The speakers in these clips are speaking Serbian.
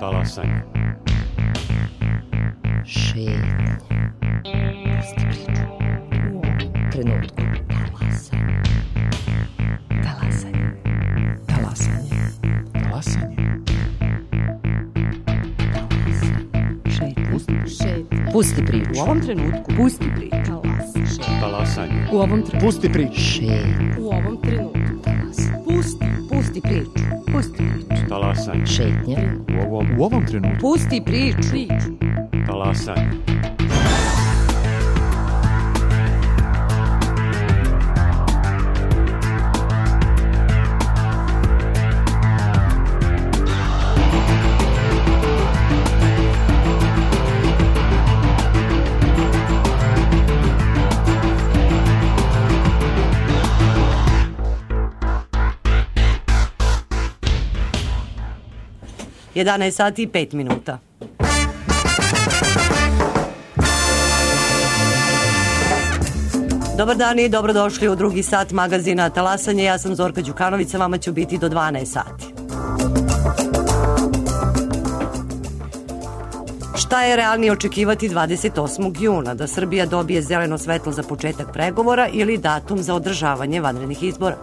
Talasanje. Šetnja. Pusti priču. U ovom trenutku. Talasanje. Talasanje. Talasanje. Pusti priču. U ovom trenutku. Pusti priču. Talasanje. U ovom trenutku. Pusti priču. Šetnja. U ovom trenutku. Pusti priču. Pusti priču. Talasanje. Šetnja. U ovom trenutku. Pusti priču. Talasanje. Jedanaest sati i 5 minuta. Dobar dan i dobrodošli u drugi sat magazina Talasanje. Ja sam Zorka Đukanović, sa vama ću biti do 12 sati. Šta je realnije očekivati 28. juna? Da Srbija dobije zeleno svetlo za početak pregovora ili datum za održavanje vanrednih izbora?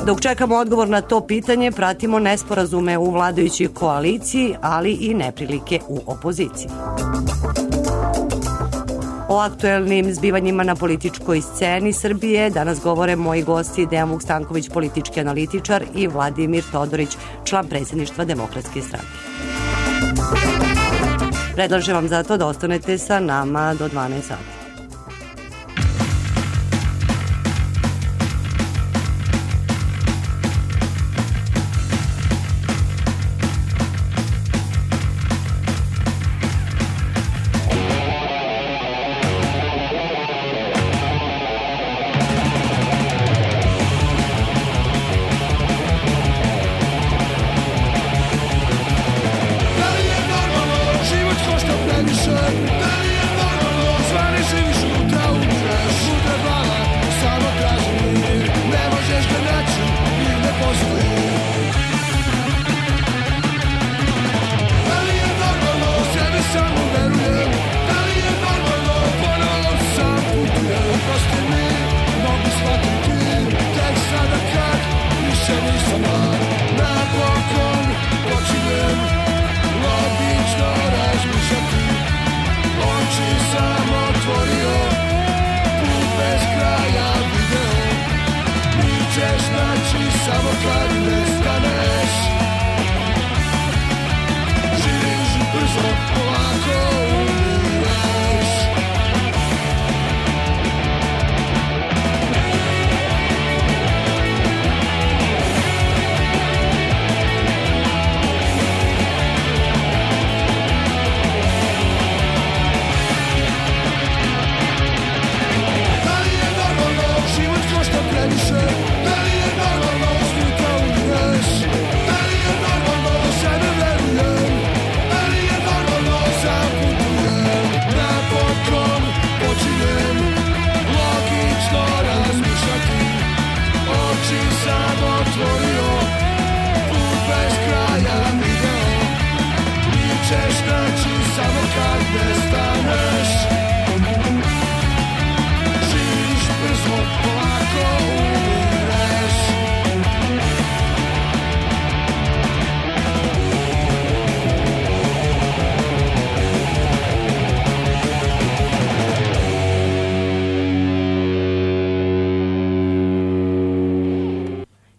Dok čekamo odgovor na to pitanje, pratimo nesporazume u vladajućoj koaliciji, ali i neprilike u opoziciji. O aktuelnim zbivanjima na političkoj sceni Srbije danas govore moji gosti Dejan Vukstanković, politički analitičar, i Vladimir Todorić, član predsjedništva Demokratske stranke. Predlažem vam zato da ostanete sa nama do 12 sati.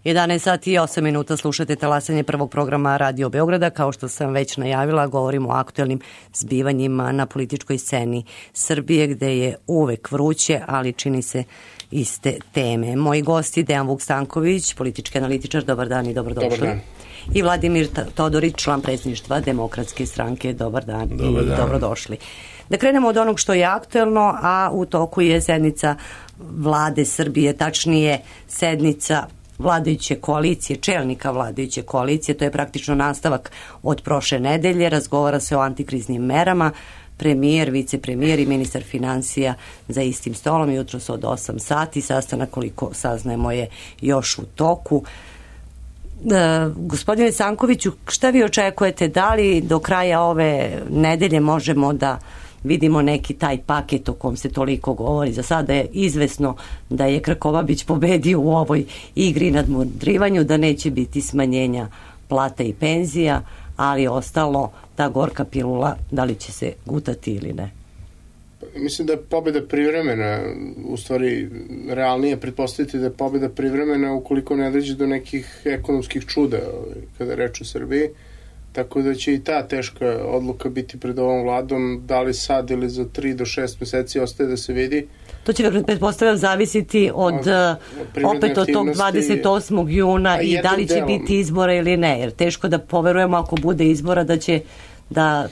Jedanaest sati i 8 minuta, slušate Talasanje, prvog programa Radio Beograda. Kao što sam već najavila, govorimo o aktuelnim zbivanjima na političkoj sceni Srbije, gde je uvek vruće, ali čini se iste teme. Moji gosti Dejan Vukstanković, politički analitičar, dobar dan i dobrodošli. Dobar dan. I Vladimir Todorić, član predsjedništva Demokratske stranke, dobar dan i dobrodošli. Da krenemo od onog što je aktuelno, a u toku je sednica vlade Srbije, tačnije sednica vladajuće koalicije, čelnika vladajuće koalicije. To je praktično nastavak od prošle nedelje. Razgovara se o antikriznim merama. Premijer, vicepremijer i ministar finansija za istim stolom, jutros od 8 sati. Sastanak, koliko saznajemo, je još u toku. Gospodine Sankoviću, šta vi očekujete? Da li do kraja ove nedelje možemo da vidimo neki taj paket o kom se toliko govori? Za sada je izvesno da je Krkobabić pobedio u ovoj igri nadmudrivanju, da neće biti smanjenja plata i penzija, ali ostalo ta gorka pilula, da li će se gutati ili ne? Mislim da je pobjeda privremena, u stvari realnije pretpostaviti da je pobjeda privremena ukoliko ne dođe do nekih ekonomskih čuda kada je reč o Srbiji, tako da će i ta teška odluka biti pred ovom vladom, da li sad ili za 3 do 6 meseci ostaje da se vidi. To će, pretpostavljam, zavisiti od opet od tog 28. juna i da li će biti izbora ili ne, jer teško da poverujemo ako bude izbora da će da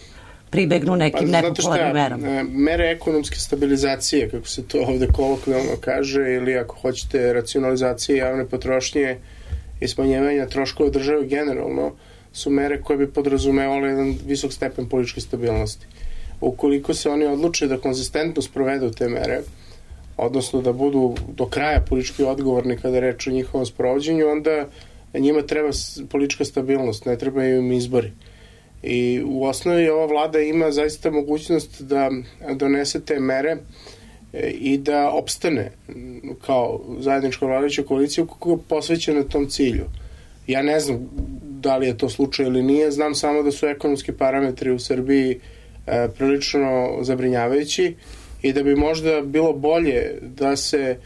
pribegnu nekim nepopularnim merama. Mere ekonomske stabilizacije, kako se to ovde kolokvijalno kaže, ili ako hoćete racionalizacije javne potrošnje i smanjevanja troškova države generalno, su mere koje bi podrazumevale jedan visok stepen političke stabilnosti. Ukoliko se oni odluče da konzistentno sprovedu te mere, odnosno da budu do kraja politički odgovorni kada je reč o njihovom sprovođenju, onda njima treba politička stabilnost, ne trebaju im izbori. I u osnovi ova vlada ima zaista mogućnost da donese te mere i da opstane kao zajednička vladajuća koalicija kako je posvećena tom cilju. Ja ne znam da li je to slučaj ili nije, znam samo da su ekonomski parametri u Srbiji prilično zabrinjavajući i da bi možda bilo bolje da se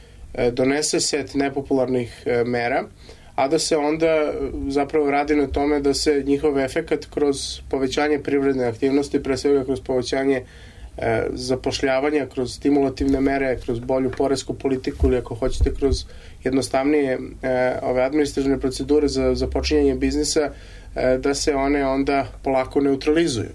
donese set nepopularnih mera, a da se onda zapravo radi na tome da se njihov efekat kroz povećanje privredne aktivnosti, pre svega kroz povećanje zapošljavanja, kroz stimulativne mere, kroz bolju poresku politiku ili ako hoćete kroz jednostavnije ove administrativne procedure za započinjanje biznisa, da se one onda polako neutralizuju.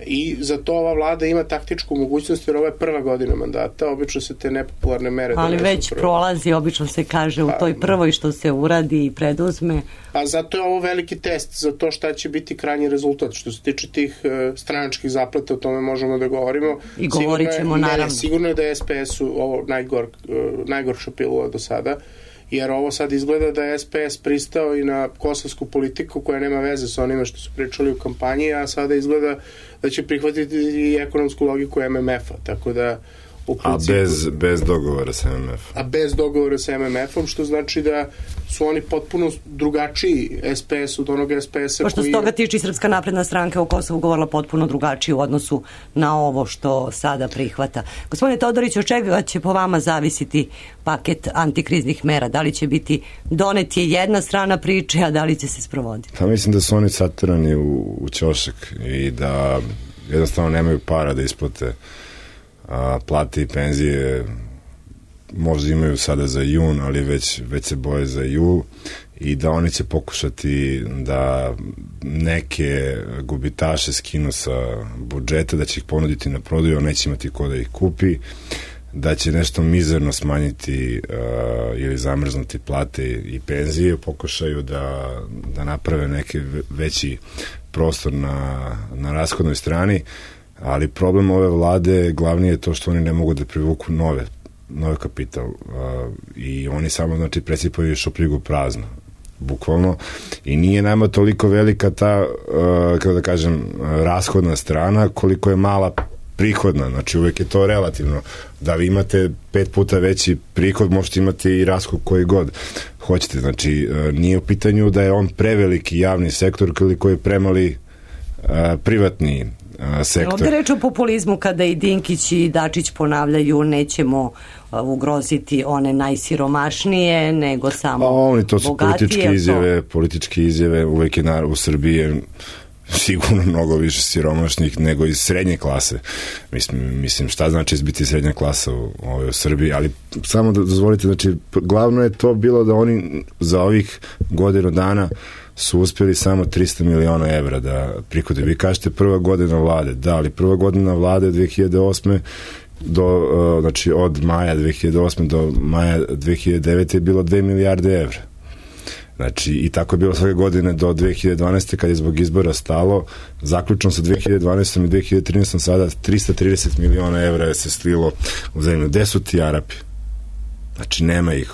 I za to ova vlada ima taktičku mogućnost, jer ovo je prva godina mandata, obično se te nepopularne mere ali već prolazi, obično se kaže u toj prvoj što se uradi i preduzme. A zato je ovo veliki test za to šta će biti krajnji rezultat. Što se tiče tih stranačkih zaplata, o tome možemo da govorimo. I govorit ćemo naravno. Sigurno je da je SPS-u ovo najgorša pilula do sada, jer ovo sad izgleda da je SPS pristao i na kosovsku politiku koja nema veze sa onime što su pričali u kampanji, a sada izgleda da će prihvatiti i ekonomsku logiku MMF-a, tako da u principu... A bez dogovora sa MMF-om. A bez dogovora sa MMF-om, što znači da su oni potpuno drugačiji SPS od onog SPS-a pošto koji... Pošto s toga tiče Srpska napredna stranka u Kosovu govorila potpuno drugačije u odnosu na ovo što sada prihvata. Gospodine Todorić, od čega će po vama zavisiti paket antikriznih mera? Da li će biti donet je jedna strana priče, a da li će se sprovoditi? Pa mislim da su oni satirani u ćošak i da jednostavno nemaju para da isplate plate i penzije. Možda imaju sada za jun, ali već se boje za jul i da oni će pokušati da neke gubitaše skinu sa budžeta, da će ih ponuditi na prodaju, a neće imati ko da ih kupi, da će nešto mizerno smanjiti ili zamrznuti plate i penzije, pokušaju da naprave neki veći prostor na rashodnoj strani, ali problem ove vlade glavni je to što oni ne mogu da privuku nove kapital i oni samo znači presipaju šupljigu prazno bukvalno i nije nama toliko velika ta kako da kažem rashodna strana koliko je mala prihodna, znači uvek je to relativno, da vi imate 5 puta veći prihod, možete imati i rashod koji god hoćete, znači nije u pitanju da je on preveliki javni sektor koliko je premali privatni sektor. Ovdje reč o populizmu kada i Dinkić i Dačić ponavljaju nećemo ugroziti one najsiromašnije, nego samo oni to su bogatije. Političke izjave, uvek je u Srbiji sigurno mnogo više siromašnih nego iz srednje klase. Mislim šta znači biti srednja klasa u Srbiji, ali samo da dozvolite, znači glavno je to bilo da oni za ovih godinu dana su uspjeli samo 300 miliona evra da prihode. Vi kažete prva godina vlade, da, ali prva godina vlade 2008. Znači od maja 2008. do maja 2009. je bilo 2 milijarde evra. Znači, i tako je bilo svake godine do 2012. kad je zbog izbora stalo, zaključno sa 2012. i 2013. sada 330 miliona evra je se slilo u zemlju. Gde su ti Arapi? Znači, nema ih.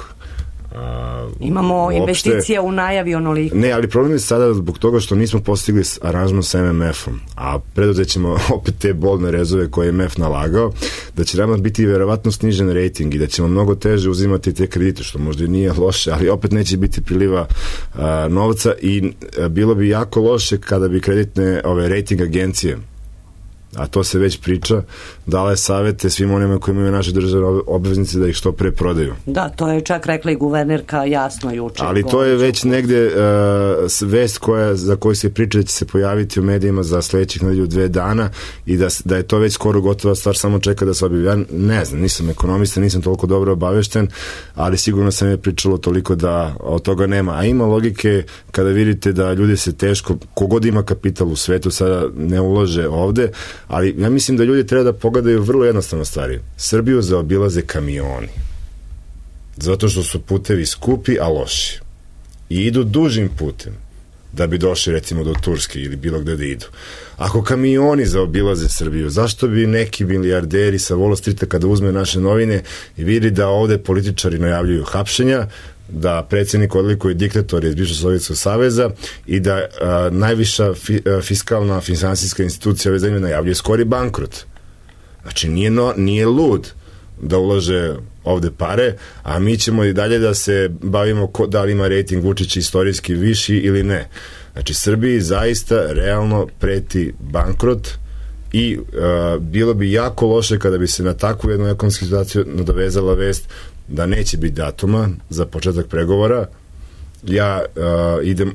Imamo investicija u najavi onoliko. Ne, ali problem je sada zbog toga što nismo postigli aranžman sa MMF-om, a preduzet ćemo opet te boldne rezove koje je MMF nalagao, da će nama biti verovatno snižen rating i da ćemo mnogo teže uzimati te kredite, što možda nije loše, ali opet neće biti priliva novca i bilo bi jako loše kada bi kreditne rating agencije, a to se već priča, dale savete svim onima koji imaju naše državne obveznice da ih što pre prodaju. Da, to je čak rekla i guvernerka jasno juče. Ali to je već negde vest za koju se priča da će se pojaviti u medijima za sledećih nedelju 2 dana i da je to već skoro gotova stvar, samo čeka da se objavi. Ja ne znam, nisam ekonomista, nisam toliko dobro obavešten, ali sigurno sam je pričalo toliko da od toga nema. A ima logike kada vidite da ljudi se teško, kogod ima kapital u svetu, sada ne ulože ovde, ali ja mislim da ljudi treba da pogledaju vrlo jednostavno stvari. Srbiju zaobilaze kamioni. Zato što su putevi skupi, a loši. I idu dužim putem da bi došli recimo do Turske ili bilo gde da idu. Ako kamioni zaobilaze Srbiju, zašto bi neki milijarderi sa Wall Streeta kada uzme naše novine i vidi da ovde političari najavljuju hapšenja, da predsjednik odlikuje diktator iz bivšeg Sovjetskog saveza i da najviša fiskalna finansijska institucija ove zemlje najavljuje skori bankrot. Znači nije lud da ulaže ovde pare, a mi ćemo i dalje da se bavimo da li ima rating Vučića istorijski viši ili ne. Znači Srbiji zaista realno preti bankrot i bilo bi jako loše kada bi se na takvu jednu ekonomsku situaciju nadovezala vest da neće biti datuma za početak pregovora.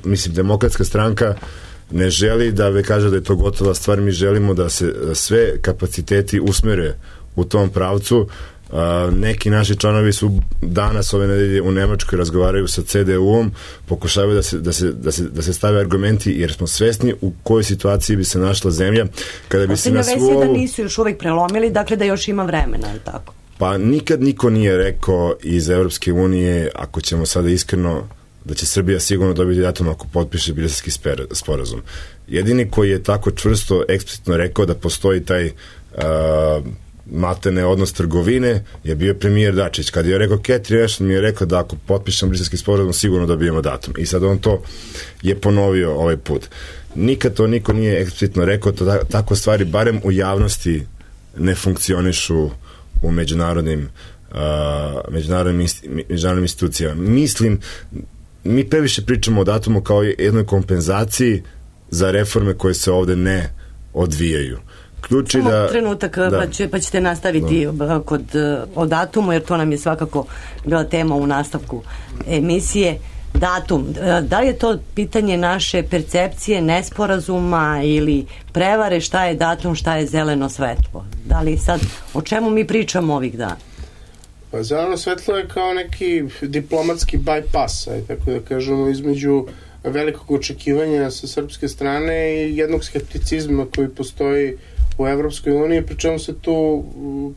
Mislim, Demokratska stranka ne želi da kaže da je to gotova stvar, mi želimo da se sve kapaciteti usmere u tom pravcu. Neki naši članovi su danas ove nedelje u Nemačkoj, razgovaraju sa CDU-om, pokušavaju da se stave argumenti, jer smo svesni u kojoj situaciji bi se našla zemlja kada bi se na svu ovu... da nisu još uvek prelomili, dakle da još ima vremena, je tako? Pa nikad niko nije rekao iz Evropske unije, ako ćemo sada iskreno, da će Srbija sigurno dobiti datum ako potpiše Briselski sporazum. Jedini koji je tako čvrsto, eksplicitno rekao da postoji taj maltene odnos trgovine je bio premijer Dačić. Kad je rekao Catherine Ashton, mi je rekao da ako potpišemo Briselski sporazum sigurno dobijemo datum. I sad on to je ponovio ovaj put. Nikad to niko nije eksplicitno rekao, tako stvari barem u javnosti ne funkcionišu u međunarodnim institucijama. Mislim, mi previše pričamo o datumu kao jednoj kompenzaciji za reforme koje se ovde ne odvijaju. Samo trenutak, pa ćete nastaviti o datumu, jer to nam je svakako bila tema u nastavku emisije. Datum, da li je to pitanje naše percepcije, nesporazuma ili prevare, šta je datum, šta je zeleno svetlo? Da li sad, o čemu mi pričamo ovih dana? Pa zeleno svetlo je kao neki diplomatski bypass, tako da kažemo, između velikog očekivanja sa srpske strane i jednog skepticizma koji postoji u Evropskoj uniji, pri čemu se tu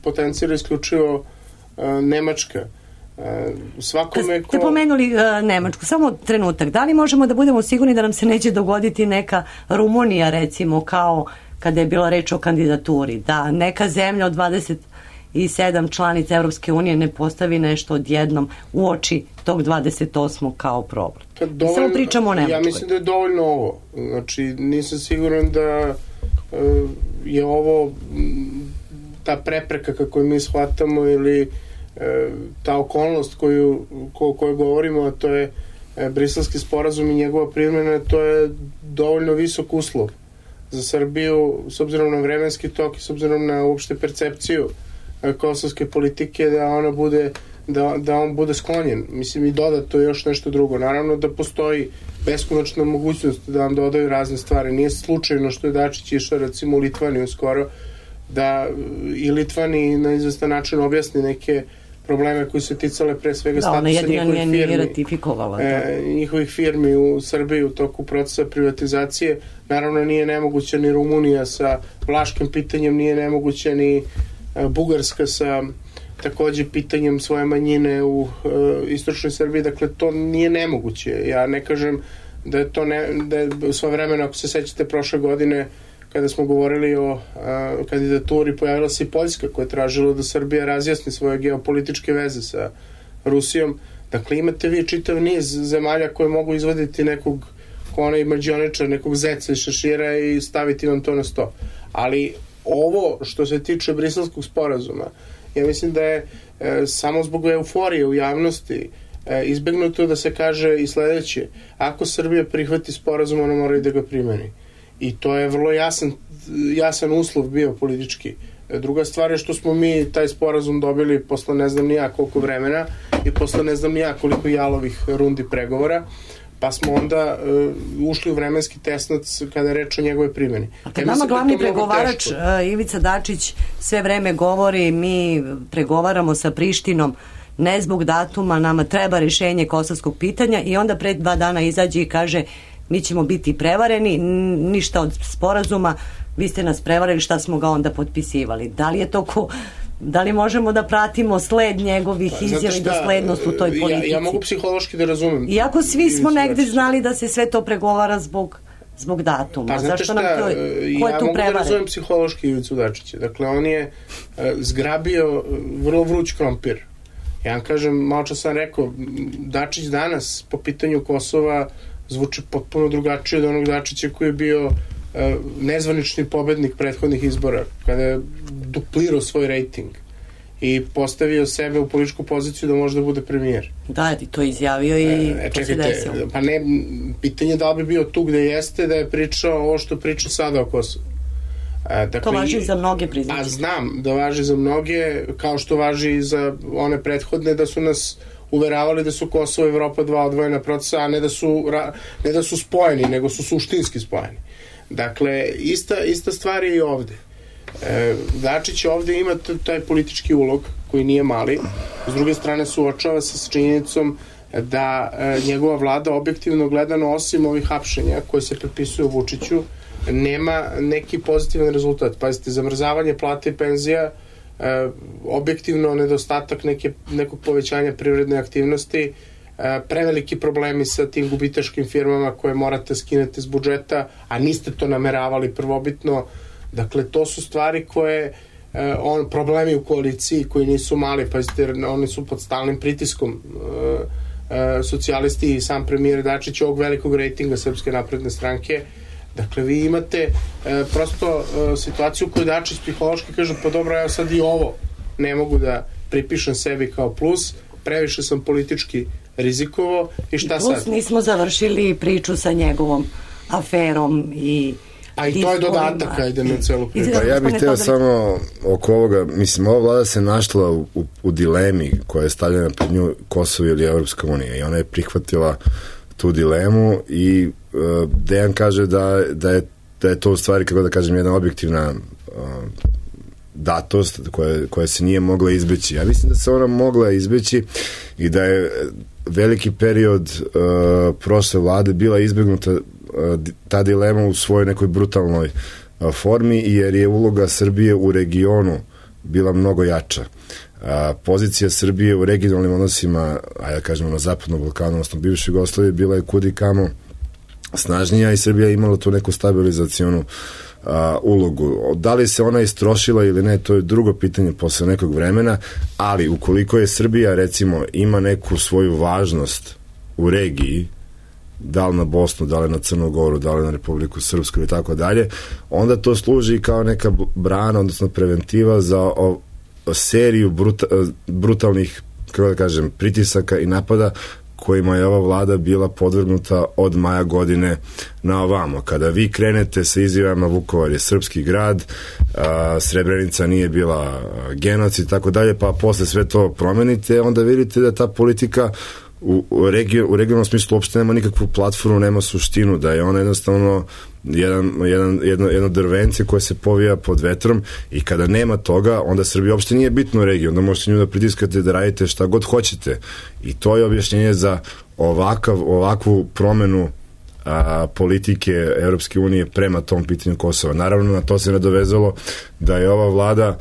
potencira isključivo Nemačka. Kad ste pomenuli Nemačku, samo trenutak, da li možemo da budemo sigurni da nam se neće dogoditi neka Rumunija, recimo, kao kada je bila reč o kandidaturi, da neka zemlja od 27 članica Evropske unije ne postavi nešto odjednom u oči tog 28. kao problem? Samo pričamo o Nemačkoj. Ja mislim da je dovoljno ovo. Znači, nisam siguran da je ovo ta prepreka kako mi shvatamo ili ta okolnost koju govorimo, a to je Briselski sporazum i njegova primjena, to je dovoljno visok uslov za Srbiju s obzirom na vremenski tok i s obzirom na uopšte percepciju kosovske politike da on bude sklonjen. Mislim, i dodato još nešto drugo. Naravno da postoji beskonačna mogućnost da vam dodaju razne stvari. Nije slučajno što je Dačić išao recimo u Litvaniju skoro, da i Litvani na izvestan način objasni neke probleme koji su ticale pre svega statusa njihovih firmi u Srbiji u toku procesa privatizacije. Naravno nije nemoguća ni Rumunija sa vlaškim pitanjem, nije nemoguća ni Bugarska sa takođe pitanjem svoje manjine u istočnoj Srbiji. Dakle, to nije nemoguće. Ja ne kažem da je to da je svo vremena, ako se sećate prošle godine kada smo govorili o kandidaturi, pojavila se i Poljska koja je tražila da Srbija razjasni svoje geopolitičke veze sa Rusijom. Dakle, imate vi čitav niz zemalja koje mogu izvaditi nekog onaj mađioničar, nekog zeca iz šešira i staviti vam to na sto. Ali ovo što se tiče Briselskog sporazuma, ja mislim da je samo zbog euforije u javnosti izbegnuto da se kaže i sledeće: ako Srbija prihvati sporazum, ona mora i da ga primeni. I to je vrlo jasan uslov bio politički. Druga stvar je što smo mi taj sporazum dobili posle ne znam ni ja koliko vremena i posle ne znam ni ja koliko jalovih rundi pregovora, pa smo onda ušli u vremenski tesnac kada je reč o njegove primjeni. A kad nama glavni pregovarač Ivica Dačić sve vreme govori, mi pregovaramo sa Prištinom ne zbog datuma, nama treba rešenje kosovskog pitanja, i onda pred 2 dana izađe i kaže mi ćemo biti prevareni, ništa od sporazuma, vi ste nas prevarili, šta smo ga onda potpisivali. Da li je to da li možemo da pratimo sled njegovih izjava i doslednost u toj politici? Ja mogu psihološki da razumem. Iako svi smo negde znali da se sve to pregovara zbog datuma. Pa znate šta, ja mogu da razumem psihološki Ivicu Dačića. Dakle, on je zgrabio vrlo vruć krompir. Ja vam kažem, malo čas sam rekao, Dačić danas po pitanju Kosova zvuči potpuno drugačije od onog Dačića koji je bio nezvanični pobednik prethodnih izbora, kada je duplirao svoj rejting i postavio sebe u političku poziciju da može da bude premijer. Da, i to izjavio i to se desilo. Pa ne, pitanje da li bi bio tu gde jeste da je pričao ovo što priča sada o Kosovu. Dakle, to važi za mnoge, priznaći. A znam da važi za mnoge, kao što važi i za one prethodne, da su nas uveravali da su Kosovo i Evropa 2 odvojena procesa, a ne da su spojeni, nego su suštinski spojeni. Dakle, ista stvar je i ovde. Dačić ovde ima taj politički ulog koji nije mali, s druge strane suočava se s činjenicom da njegova vlada objektivno gledano, osim ovih hapšenja koje se prepisuju Vučiću, nema neki pozitivan rezultat. Pazite, zamrzavanje plata i penzija, objektivno nedostatak nekog povećanja privredne aktivnosti, preveliki problemi sa tim gubitaškim firmama koje morate skinete s budžeta, a niste to nameravali prvobitno. Dakle, to su stvari koje problemi u koaliciji koji nisu mali, pazite, oni su pod stalnim pritiskom socijalisti i sam premijer Dačić ovog velikog rejtinga Srpske napredne stranke. Dakle, vi imate prosto situaciju koju Dačić psihološki kaže, pa dobro, ja sad i ovo ne mogu da pripišem sebi kao plus, previše sam politički rizikovo i šta sad? Plus nismo završili priču sa njegovom aferom A i to je dodatak, ajde na celu priču. Pa ja bih hteo samo oko ovoga, mislim, ova vlada se našla u dilemi koja je stavljena pred nju, Kosovo ili Evropska unija, i ona je prihvatila tu dilemu i Dejan kaže da je to u stvari, kako da kažem, jedna objektivna datost koja se nije mogla izbeći. Ja mislim da se ona mogla izbeći i da je veliki period prošle vlade bila izbegnuta ta dilema u svojoj nekoj brutalnoj formi, jer je uloga Srbije u regionu bila mnogo jača. Pozicija Srbije u regionalnim odnosima, ajde kažemo na Zapadnom Balkanu, odnosno bivšoj Jugoslaviji, bila je kudikamo snažnija i Srbija je imala tu neku stabilizacionu ulogu. Da li se ona istrošila ili ne, to je drugo pitanje posle nekog vremena, ali ukoliko je Srbija, recimo, ima neku svoju važnost u regiji, da li na Bosnu, da li na Crnu Goru, da li na Republiku Srpsku i tako dalje, onda to služi kao neka brana, odnosno preventiva za seriju brutalnih, kako da kažem, pritisaka i napada kojima je ova vlada bila podvrgnuta od maja godine na ovamo. Kada vi krenete sa izjavama Vukovar je srpski grad, Srebrenica nije bila genocid i tako dalje, pa posle sve to promenite, onda vidite da ta politika u regionalnom smislu uopšte nema nikakvu platformu, nema suštinu, da je ona jednostavno jedno drvence koje se povija pod vetrom, i kada nema toga, onda Srbija uopšte nije bitno u regiji, onda možete nju da pritiskate da radite šta god hoćete, i to je objašnjenje za ovakvu promenu politike Evropske unije prema tom pitanju Kosova. Naravno, na to se nadovezalo da je ova vlada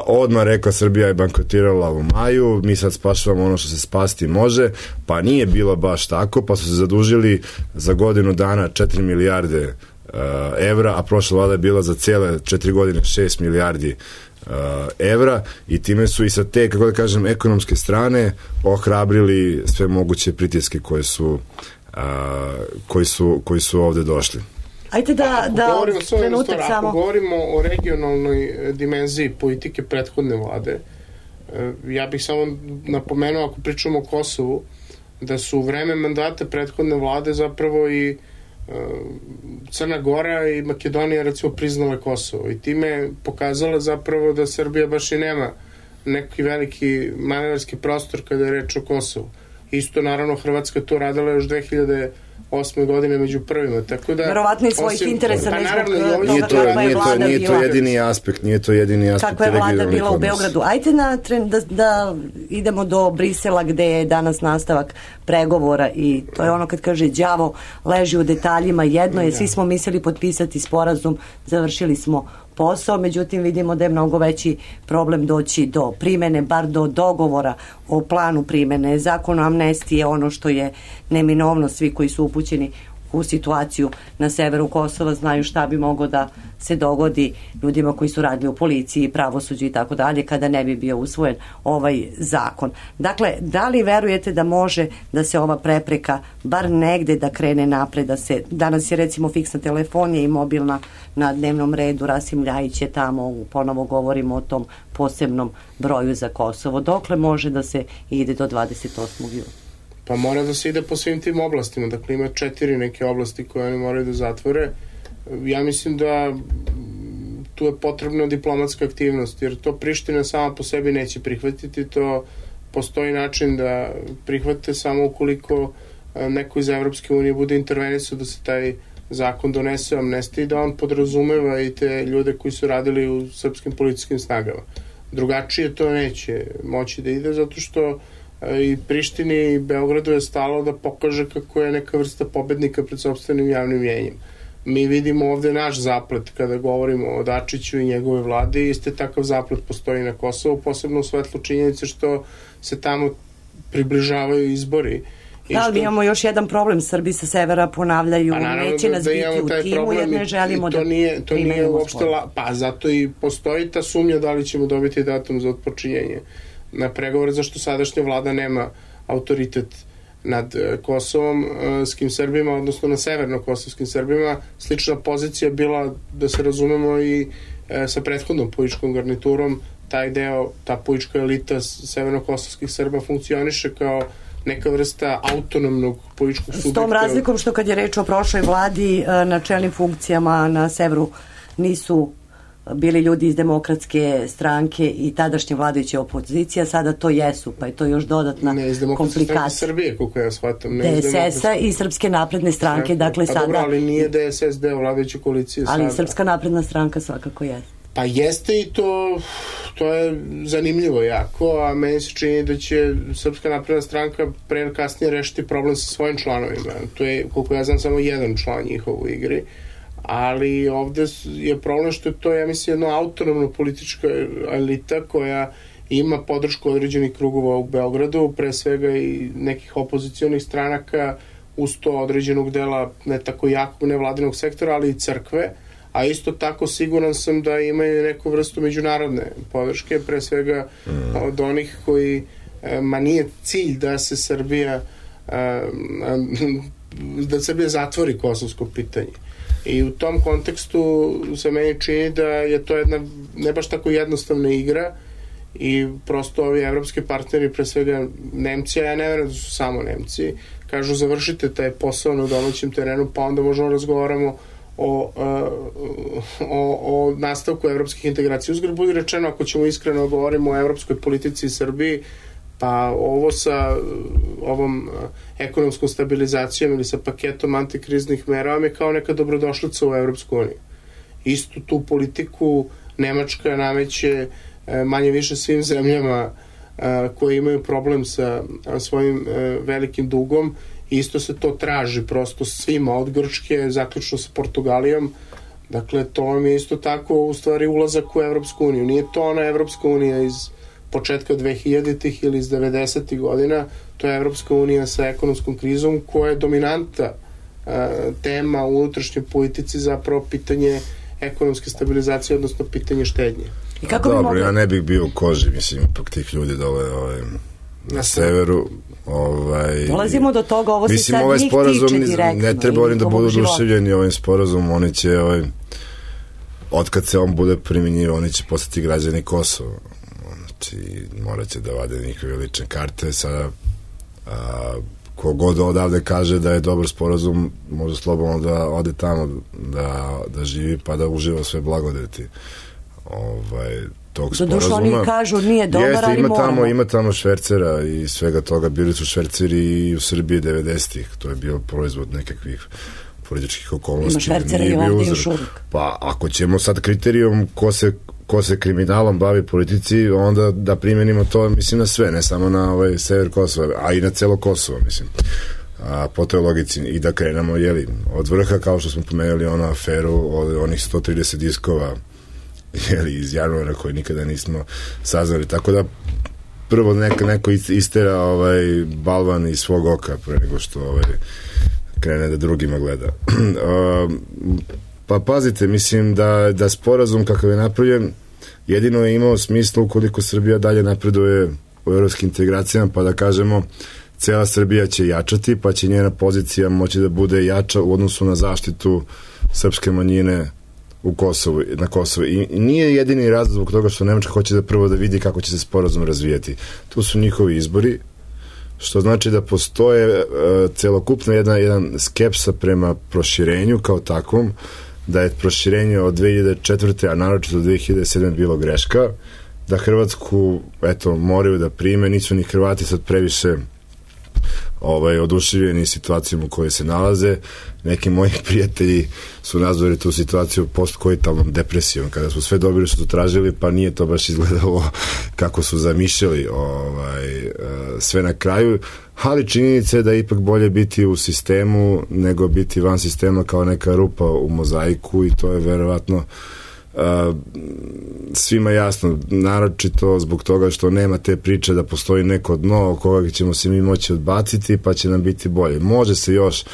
odmah rekla Srbija je bankrotirala u maju, mi sad spašavamo ono što se spasti može, pa nije bilo baš tako, pa su se zadužili za godinu dana 4 milijarde evra, a prošla vlada je bila za cele 4 godine 6 milijardi evra i time su i sa te, kako da kažem, ekonomske strane ohrabrili sve moguće pritiske koji su ovde došli. Ajde da trenutak samo. Ako govorimo o regionalnoj dimenziji politike prethodne vlade, ja bih samo napomenuo, ako pričamo o Kosovu, da su u vreme mandata prethodne vlade zapravo i Crna Gora i Makedonija recimo priznale Kosovo i time pokazala zapravo da Srbija baš i nema neki veliki manevarski prostor kada je reč o Kosovu. Isto naravno Hrvatska to radila još 2008. godine među prvima, tako da verovatno i svojih interesa nije to jedini aspekt kakva je vlada bila u Beogradu. Ajde da idemo do Brisela gde je danas nastavak pregovora i to je ono kad kaže đavo leži u detaljima, jedno je, svi smo mislili potpisati sporazum, završili smo posao, međutim vidimo da je mnogo veći problem doći do primene, bar do dogovora o planu primene. Zakon o amnestiji je ono što je neminovno, svi koji su upućeni u situaciju na severu Kosova znaju šta bi moglo da se dogodi ljudima koji su radili u policiji, pravosuđu i tako dalje kada ne bi bio usvojen ovaj zakon. Dakle, da li verujete da može da se ova prepreka bar negde da krene napred, da se, danas je recimo fiksna telefonija i mobilna na dnevnom redu, Rasim Ljajić je tamo, ponovo govorimo o tom posebnom broju za Kosovo. Dokle može da se ide do 28. juna? Pa mora da se ide po svim tim oblastima, dakle ima 4 neke oblasti koje oni moraju da zatvore. Ja mislim da tu je potrebna diplomatska aktivnost, jer to Priština sama po sebi neće prihvatiti, to postoji način da prihvate samo ukoliko neko iz Evropske unije bude intervenisao da se taj zakon donese o amnestiji, da on podrazumeva i te ljude koji su radili u srpskim policijskim snagama. Drugačije to neće moći da ide, zato što i Prištini i Beogradu je stalo da pokaže kako je neka vrsta pobednika pred sopstvenim javnim mjenjem. Mi vidimo ovde naš zaplet kada govorimo o Dačiću i njegove vlade, iste takav zaplet postoji na Kosovu, posebno u svetlu činjenice što se tamo približavaju izbori. Da, ali imamo još jedan problem, Srbi sa severa ponavljaju, neće nas biti u timu jer ne želimo da primenimo sport. Pa zato i postoji ta sumnja da li ćemo dobiti datum za otpočinjenje na pregovore, zašto sadašnja vlada nema autoritet nad Kosovom skim Srbima, odnosno na severno-kosovskim Srbima. Slična pozicija bila, da se razumemo, i sa prethodnom političkom garniturom. Taj deo, ta politička elita severno-kosovskih Srba funkcioniše kao neka vrsta autonomnog političkog subjekta. S tom razlikom što kad je reč o prošloj vladi, na čelnim funkcijama na severu nisu bili ljudi iz Demokratske stranke i tadašnje vladajuće opozicija, sada to jesu, pa je to još dodatna komplikacija. Ne iz Demokratske stranke Srbije, koliko ja shvatam. DSS-a i Srpske napredne stranke, dakle sada... Pa dobro, ali nije DSS deo vladajuće koalicije sada. Ali Srpska napredna stranka svakako jeste. Pa jeste i to je zanimljivo jako, a meni se čini da će Srpska napredna stranka pre ili kasnije rešiti problem sa svojim članovima. To je, koliko ja znam, samo jedan član njihov u igri. Ali ovde je problem što je to, ja mislim, jedno autonomno politička elita koja ima podršku određenih krugova u Beogradu, pre svega i nekih opozicionih stranaka, uz to određenog dela ne tako jakog nevladinog sektora, ali i crkve, a isto tako siguran sam da imaju neku vrstu međunarodne podrške, pre svega od onih koji, nije cilj da se Srbija zatvori kosovsko pitanje. I u tom kontekstu se meni čini da je to jedna ne baš tako jednostavna igra i prosto ovi evropski partneri, pre svega Nemci, a ja ne verujem da su samo Nemci, kažu završite taj posao na domaćem terenu pa onda možemo razgovaramo o nastavku evropskih integracija. Uzgled budi rečeno, ako ćemo iskreno govorimo o evropskoj politici i Srbiji, pa ovo sa ovom ekonomskom stabilizacijom ili sa paketom antikriznih mera vam je kao neka dobrodošlica u Evropsku uniju. Istu tu politiku Nemačka nameće manje više svim zemljama koje imaju problem sa svojim velikim dugom. Isto se to traži prosto svima, od Grčke zaključno sa Portugalijom. Dakle, to vam je isto tako u stvari ulazak u Evropsku uniju. Nije to ona Evropska unija iz početka 2000-ih ili iz 90-ih godina, to je Evropska unija sa ekonomskom krizom koja je dominanta tema u unutrašnjoj politici, zapravo pitanje ekonomske stabilizacije, odnosno pitanje štednje. I kako Dobro, bi mogli... ja ne bih bio u koži, mislim, ipak tih ljudi dole na severu. Dolazimo do toga, ovo se sad ovaj njih sporazum, tiče direktno. ne treba oni da budu oduševljeni ovim sporazumom, oni će, otkad se on bude primjenjivao, oni će postati građani Kosova. Znači, morat će da vade njihove lične karte. Sada, kogod odavde kaže da je dobar sporazum, može slobodno da ode tamo, da živi, pa da uživa sve blagodeti tog sporazuma. Doduše oni kažu nije dobar, jeste, ali moramo. Ima tamo švercera i svega toga, bili su šverceri i u Srbiji 90-ih, to je bio proizvod nekakvih političkih okolnosti. Ima švercera i ovdje još uvijek. Pa ako ćemo sad kriterijum ko se kriminalom bavi politici, onda da primenimo to, mislim, na sve, ne samo na sever Kosova, a i na celo Kosovo, mislim. Po toj logici, i da krenemo, od vrha, kao što smo pomenuli onu aferu od onih 130 diskova iz januara koje nikada nismo saznali, tako da prvo neko istera balvan iz svog oka pre nego što krene da drugima gleda. Pa pazite, mislim da sporazum kakav je napravljen jedino je imao smisla ukoliko Srbija dalje napreduje u evropskim integracijama, pa da kažemo cela Srbija će jačati, pa će njena pozicija moći da bude jača u odnosu na zaštitu srpske manjine na Kosovu. I nije jedini razlog zbog toga što Nemačka hoće da prvo da vidi kako će se sporazum razvijati. Tu su njihovi izbori, što znači da postoje celokupno jedan skepsa prema proširenju kao takvom, da je proširenje od 2004. a naročito od 2007. bilo greška, da Hrvatsku moraju da prime, nisu ni Hrvati sad previše oduševljeni situacijom u kojoj se nalaze. Neki moji prijatelji su nazvali tu situaciju postkoitalnom depresijom, kada su sve dobili što su tražili, pa nije to baš izgledalo kako su zamišljali sve na kraju, ali činjenica je da je ipak bolje biti u sistemu nego biti van sistema kao neka rupa u mozaiku, i to je verovatno svima jasno, naročito zbog toga što nema te priče da postoji neko dno koga ćemo se mi moći odbaciti pa će nam biti bolje. Može se još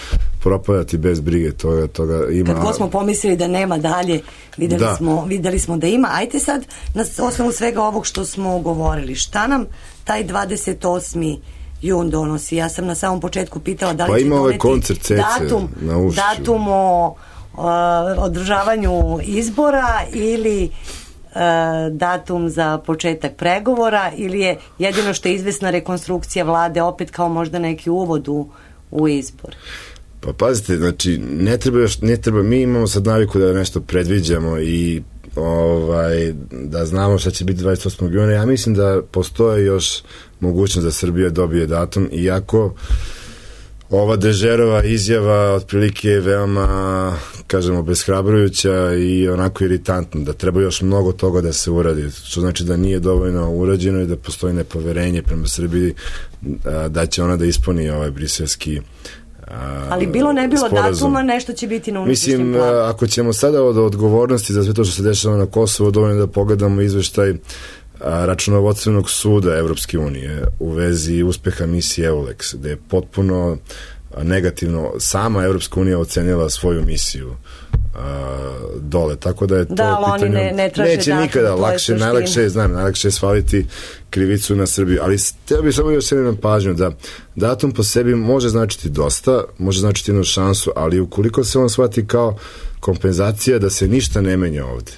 propadati bez brige, toga ima. Kad god smo pomislili da nema dalje, videli smo da ima. Ajte sad, na osnovu svega ovog što smo govorili, šta nam taj 28. jun donosi? Ja sam na samom početku pitala da li će doneti datum o održavanju izbora ili datum za početak pregovora, ili je jedino što je izvesna rekonstrukcija vlade opet kao možda neki uvod u izbor? Pa pazite, znači ne treba, mi imamo sad naviku da nešto predviđamo i da znamo šta će biti 28. juna. Ja mislim da postoje još mogućnost da Srbija dobije datum, iako ova Dežerova izjava otprilike je veoma, kažemo, beshrabrujuća i onako iritantna, da treba još mnogo toga da se uradi, što znači da nije dovoljno urađeno i da postoji nepoverenje prema Srbiji da će ona da ispuni ovaj briselski ali bilo ne bilo sporazum. Datuma nešto će biti na unutrašnjem planu. Mislim, ako ćemo sada od odgovornosti za sve to što se dešava na Kosovo, dovoljno da pogledamo izveštaj računovodstvenog suda Evropske unije u vezi uspeha misije EULEX, gde je potpuno negativno sama Evropska unija ocenila svoju misiju dole, tako da je to pitanje, ne traže neće nikada, najlakše je svaliti krivicu na Srbiju, ali htio bih samo još jednom pažnju da datum po sebi može značiti dosta, može značiti jednu šansu, ali ukoliko se on shvati kao kompenzacija da se ništa ne menja ovde,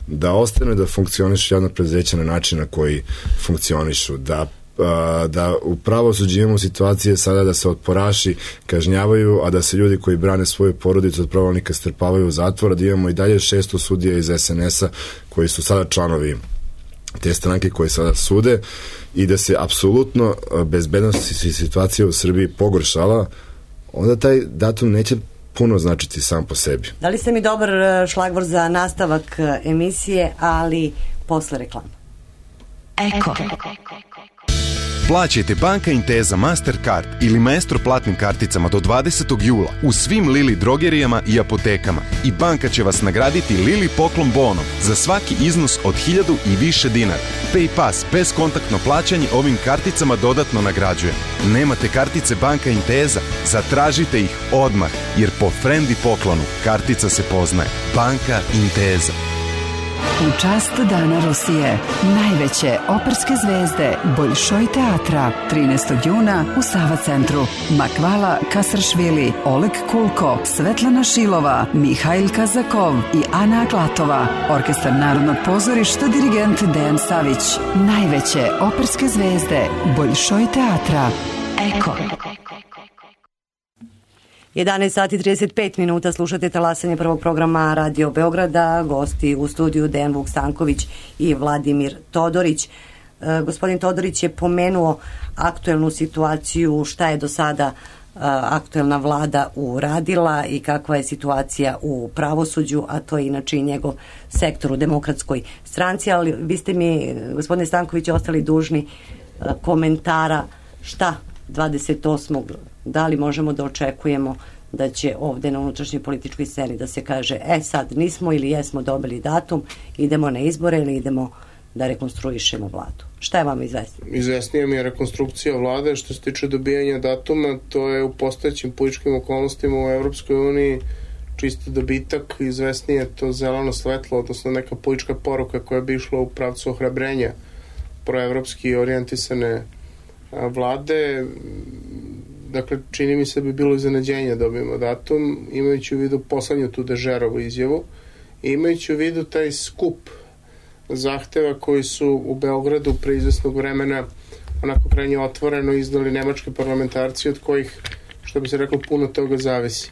da ostane da funkcionišu javna preduzeća na način na koji funkcionišu, da u pravosuđu imamo situacije sada da se otporaši kažnjavaju, a da se ljudi koji brane svoju porodicu od pravonika strpavaju u zatvor, da imamo i dalje 600 sudija iz SNS-a koji su sada članovi te stranke koje sada sude, i da se apsolutno bezbednost situacija u Srbiji pogoršala, onda taj datum neće puno značiti sam po sebi. Dali ste mi dobar šlagvor za nastavak emisije, ali posle reklama. Eko. Plaćajte Banka Intesa Mastercard ili Maestro platnim karticama do 20. jula u svim Lili drogerijama i apotekama i banka će vas nagraditi Lili poklon bonom za svaki iznos od 1000 i više dinara. PayPass bez kontaktno plaćanje ovim karticama dodatno nagrađuje. Nemate kartice Banka Intesa? Zatražite ih odmah, jer po Frendi poklonu kartica se poznaje. Banka Intesa. U čast Dana Rusije, najveće operske zvezde Boljšoj teatra, 13. juna u Sava centru. Makvala Kasršvili, Oleg Kulko, Svetlana Šilova, Mihajl Kazakov i Ana Aklatova. Orkestar Narodnog pozorišta, dirigent Dejan Savić. Najveće operske zvezde Boljšoj teatra. Eko. 11 sati 35 minuta, slušate talasanje prvog programa Radio Beograda, gosti u studiju Dejan Vukstanković i Vladimir Todorić. Gospodin Todorić je pomenuo aktuelnu situaciju, šta je do sada aktuelna vlada uradila i kakva je situacija u pravosuđu, a to je inače i njegov sektor u Demokratskoj stranci, ali vi ste mi, gospodine Stanković, ostali dužni komentara šta 28. da li možemo da očekujemo da će ovde na unutrašnjoj političkoj sceni da se kaže sad nismo ili jesmo dobili datum, idemo na izbore ili idemo da rekonstruišemo vladu. Šta je vam izvesno? Izvesnija mi je rekonstrukcija vlade. Što se tiče dobijanja datuma, to je u postojećim političkim okolnostima u Evropskoj uniji čisto dobitak. Izvesnije je to zeleno svetlo, odnosno neka politička poruka koja bi išla u pravcu ohrabrenja proevropski orijentisane vlade. Dakle, čini mi se da bi bilo iznenađenje da dobijemo datum, imajući u vidu poslednju tu Dežerovu izjavu i imajući u vidu taj skup zahteva koji su u Beogradu pre izvesnog vremena onako krajnje otvoreno izdali nemački parlamentarci, od kojih, što bi se reklo, puno toga zavisi.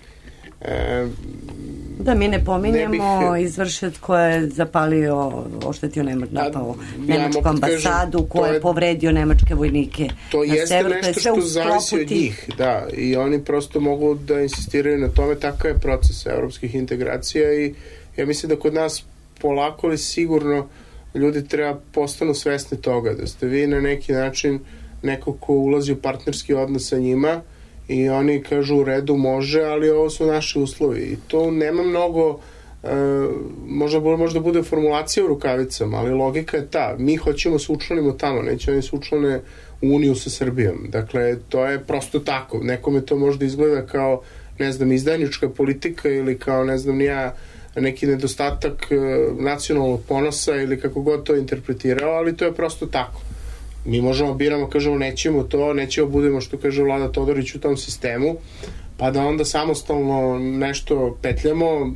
Da mi ne pominjemo izvršet ko je zapalio, oštetio napao nemačku ambasadu, ko je povredio nemačke vojnike. To jeste nešto što zavisi od njih, da, i oni prosto mogu da insistiraju na tome. Takav je proces evropskih integracija i ja mislim da kod nas polako ali sigurno ljudi treba postanu svesni toga, da ste vi na neki način neko ko ulazi u partnerski odnos sa njima i oni kažu u redu može, ali ovo su naši uslovi i to nema mnogo, možda bude formulacija u rukavicama, ali logika je ta, mi hoćemo se učlanimo tamo, neće oni se učlane u Uniju sa Srbijom, dakle to je prosto tako, nekome to možda izgleda kao, ne znam, izdajnička politika ili kao, ne znam, neki nedostatak nacionalnog ponosa ili kako god to interpretirao, ali to je prosto tako. Mi možemo biramo, kažemo nećemo to, nećemo budemo, što kaže Vlada Todorić, u tom sistemu, pa da onda samostalno nešto petljamo,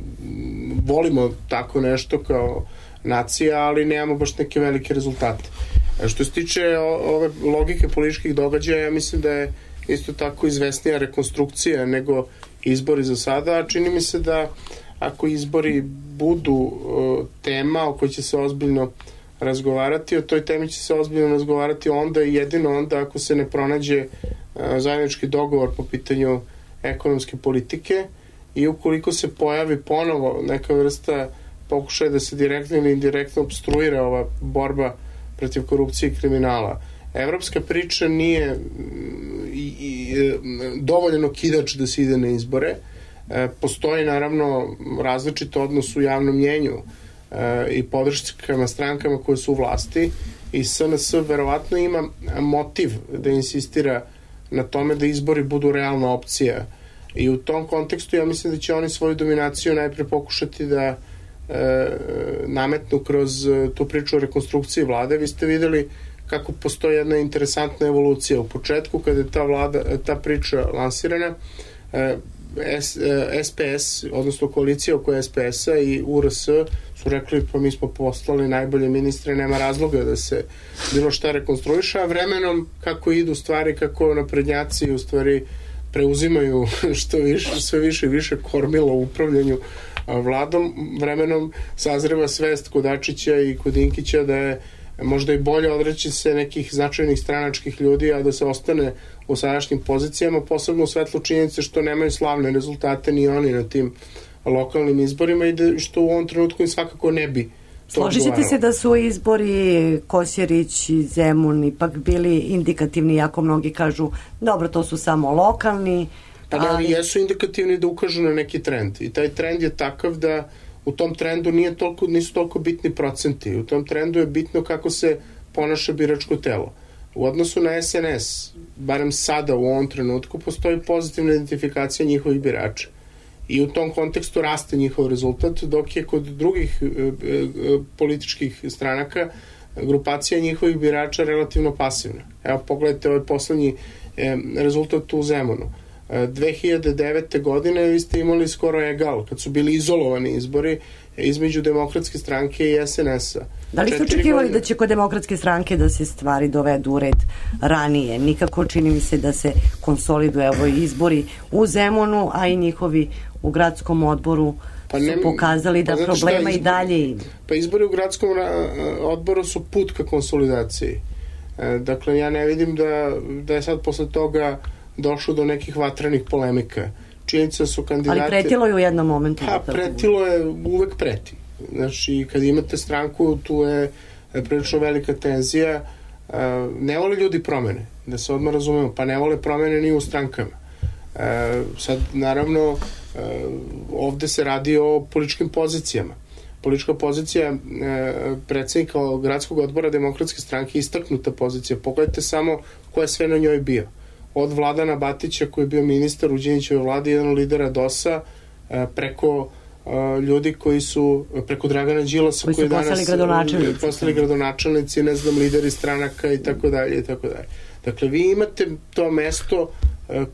volimo tako nešto kao nacija, ali nemamo baš neke velike rezultate. Što se tiče ove logike političkih događaja, ja mislim da je isto tako izvesnija rekonstrukcija nego izbori za sada. Čini mi se da ako izbori budu tema o kojoj će se ozbiljno razgovarati, o toj temi će se ozbiljno razgovarati onda i jedino onda ako se ne pronađe zajednički dogovor po pitanju ekonomske politike i ukoliko se pojavi ponovo neka vrsta pokušaja da se direktno ili indirektno obstruira ova borba protiv korupcije i kriminala. Evropska priča nije dovoljno kidač da se ide na izbore. Postoji naravno različit odnos u javnom mnjenju i podrškama strankama koje su u vlasti i SNS verovatno ima motiv da insistira na tome da izbori budu realna opcija i u tom kontekstu ja mislim da će oni svoju dominaciju najpre pokušati da nametnu kroz tu priču o rekonstrukciji vlade. Vi ste videli kako postoji jedna interesantna evolucija. U početku kada je ta priča lansirana, SPS, odnosno koalicija oko SPS-a i URS su rekli pa mi smo poslali najbolje ministre, nema razloga da se bilo šta rekonstruiše, a vremenom kako idu stvari, kako naprednjaci u stvari preuzimaju što više, sve više i više kormila u upravljanju vladom, vremenom sazreva svest kod Dačića i kod Dinkića da je možda i bolje odreći se nekih značajnih stranačkih ljudi, a da se ostane u sadašnjim pozicijama, posebno u svetlu činjenice što nemaju slavne rezultate ni oni na tim lokalnim izborima i što u ovom trenutku im svakako ne bi to odgovaralo. Složite se da su izbori Kosjerić i Zemun ipak bili indikativni, jako mnogi kažu dobro, to su samo lokalni. Ali jesu indikativni da ukažu na neki trend i taj trend je takav da u tom trendu nisu toliko bitni procenti. U tom trendu je bitno kako se ponaša biračko telo. U odnosu na SNS, barem sada u ovom trenutku, postoji pozitivna identifikacija njihovih birača. i u tom kontekstu raste njihov rezultat, dok je kod drugih političkih stranaka grupacija njihovih birača relativno pasivna. Evo, pogledajte ovaj poslednji rezultat u Zemunu. 2009. godine vi ste imali skoro egal, kad su bili izolovani izbori između Demokratske stranke i SNS-a. Da li ste očekivali da će kod Demokratske stranke da se stvari dovedu u red ranije? Nikako, čini mi se da se konsoliduje evo izbori u Zemunu, a i njihovi u gradskom odboru su pokazali da problema i dalje ima. Pa izbori u gradskom odboru su put ka konsolidaciji. Dakle, ja ne vidim da je sad posle toga došlo do nekih vatrenih polemika. Činjenica su kandidati... Ali pretilo je u jednom momentu. Pa, pretilo je, uvek preti. Znači, kad imate stranku, tu je prilično velika tenzija. Ne vole ljudi promene, da se odmah razumemo, pa ne vole promene ni u strankama. Sad, naravno, ovde se radi o političkim pozicijama. Politička pozicija predsednika gradskog odbora Demokratske stranke je istaknuta pozicija. Pogledajte samo ko je sve na njoj bio. Od Vladana Batića, koji je bio ministar u Đinđićevoj vladi, jedan od lidera DOS-a, preko ljudi koji su, preko Dragana Đilasa, koji danas postali gradonačelnici, ne znam, lideri stranaka i tako dalje i tako dalje. Dakle, vi imate to mesto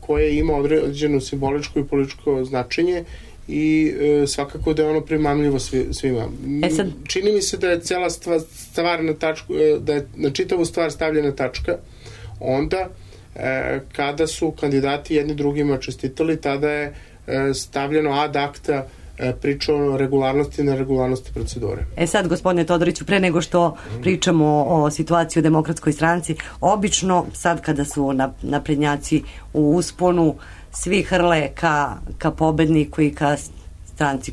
koje ima određeno simboličko i političko značenje i svakako da je ono primamljivo svima. Čini mi se da je cela stvar na tačku, da je na čitavu stvar stavljena tačka onda kada su kandidati jedni drugima čestitali, tada je stavljeno ad acta priča o regularnosti i neregularnosti procedure. Sad, gospodine Todoriću, pre nego što pričamo o situaciji u Demokratskoj stranci, obično sad kada su naprednjaci u usponu, svi hrle ka pobedniku i ka stranci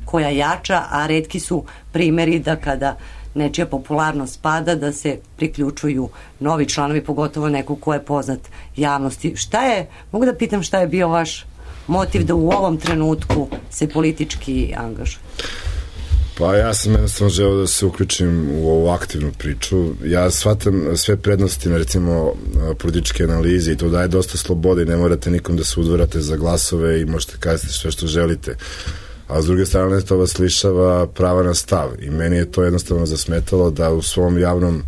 koja jača, a retki su primeri da kada nečija popularnost pada, da se priključuju novi članovi, pogotovo neko ko je poznat javnosti. Mogu da pitam šta je bio vaš motiv da u ovom trenutku se politički angažuje? Pa ja sam jednostavno želeo da se uključim u ovu aktivnu priču. Ja shvatam sve prednosti na recimo političke analize i to daje dosta slobode i ne morate nikom da se udvarate za glasove i možete kazati sve što želite. A s druge strane to vas lišava prava na stav i meni je to jednostavno zasmetalo da u svom javnom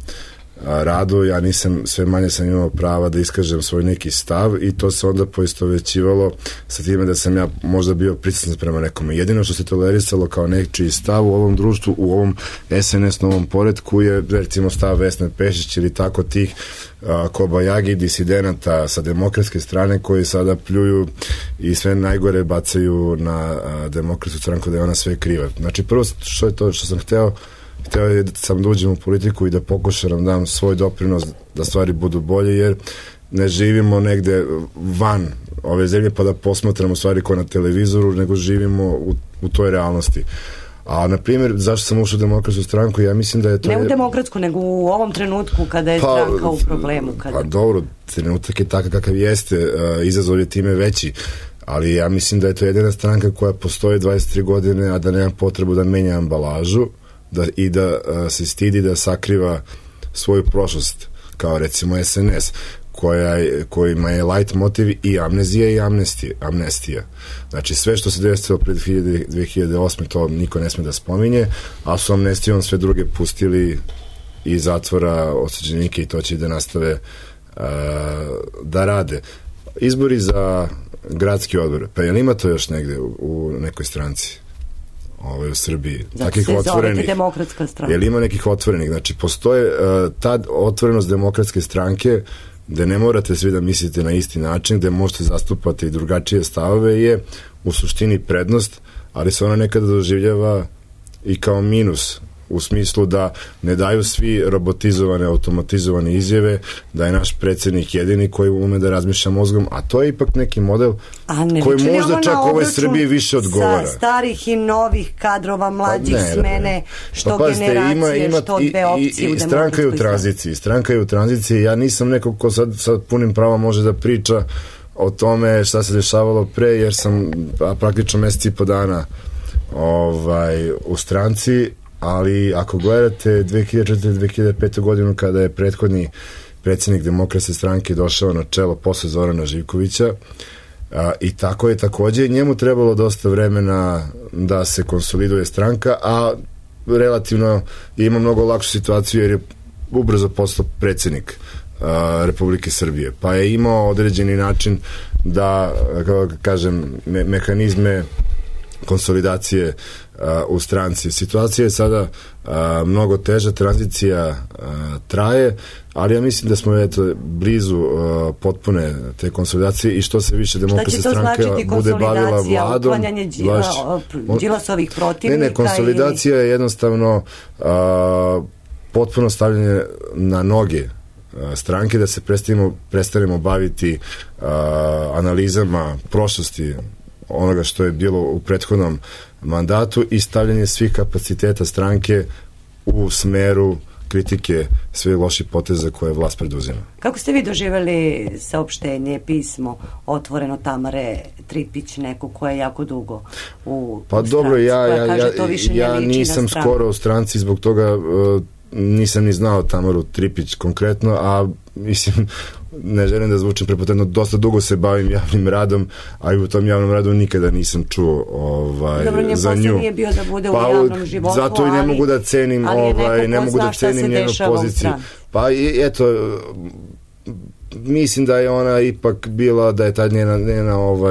radu ja sve manje sam imao prava da iskažem svoj neki stav i to se onda poistovećivalo sa time da sam ja možda bio pritisan prema nekome. Jedino što se tolerisalo kao nečiji stav u ovom društvu, u ovom SNS novom poretku je recimo stav Vesne Pešić ili tako tih kobajagi disidenata sa Demokratske strane koji sada pljuju i sve najgore bacaju na Demokratsku stranku da je ona sve kriva. Znači prvo što je to što sam hteo je sam da uđem u politiku i da pokušam da dam svoj doprinos da stvari budu bolje, jer ne živimo negde van ove zemlje pa da posmatramo stvari kao na televizoru, nego živimo u toj realnosti. A, na primjer, zašto sam ušao u Demokratsku stranku, ja mislim da je to... Ne u Demokratsku, nego u ovom trenutku kada je stranka u problemu. Pa dobro, trenutak je takav kakav jeste, izazov je time veći, ali ja mislim da je to jedina stranka koja postoji 23 godine, a da nema potrebu da menja ambalažu, i da se stidi da sakriva svoju prošlost, kao recimo SNS, kojima je light motiv i amnezija i amnestija. Znači sve što se desilo pred 2008. to niko ne sme da spominje, a su amnestijom sve druge pustili iz zatvora osuđenike i to će da nastave da rade. Izbori za gradski odbor, pa je li ima to još negde u nekoj stranci? U Srbiji. Zato se zovete Demokratska stranka. Je li ima nekih otvorenih? Znači, postoje ta otvorenost Demokratske stranke gde ne morate svi da mislite na isti način, gde možete zastupati drugačije stavove je u suštini prednost, ali se ona nekada doživljava i kao minus, u smislu da ne daju svi robotizovane, automatizovane izjave, da je naš predsjednik jedini koji ume da razmišlja mozgom, a to je ipak neki model koji možda čak ovoj Srbiji više odgovara. Sa starih i novih kadrova, mlađih smene, što generacije, što dve opcije u Demokratskoj stranka je u tranziciji. Ja nisam neko ko sad punim prava može da priča o tome šta se dešavalo pre, jer sam praktično mesec i po dana u stranci, ali ako gledate 2004-2005. godinu kada je prethodni predsjednik Demokratske stranke došao na čelo posle Zorana Živkovića, I tako je takođe njemu trebalo dosta vremena da se konsoliduje stranka, a relativno ima mnogo lakšu situaciju jer je ubrzo postao predsjednik Republike Srbije, pa je imao određeni način da, kako kažem, mehanizme konsolidacije u stranci. Situacija je sada mnogo teža, tranzicija traje, ali ja mislim da smo blizu potpune te konsolidacije i što se više Demokratska stranka bude bavila vladom. Uklanjanje Đilasovih protivnika? Ne, konsolidacija je jednostavno potpuno stavljanje na noge stranke, da se prestanemo baviti analizama prošlosti onoga što je bilo u prethodnom mandatu i stavljanje svih kapaciteta stranke u smeru kritike svih loših poteza koje vlast preduzima. Kako ste vi doživjeli saopštenje, pismo otvoreno Tamare Tripić, neko koja je jako dugo u stranci? Dobro, ja nisam skoro u stranci, zbog toga nisam ni znao Tamaru Tripić konkretno, a mislim, ne želim da zvučem prepotentno, dosta dugo se bavim javnim radom, a i u tom javnom radu nikada nisam čuo za nju. Nije bio da bude u javnom životu, zato i ne mogu da cenim ne mogu da cenim njenu poziciju. Pa eto, mislim da je ona ipak bila, da je ta njena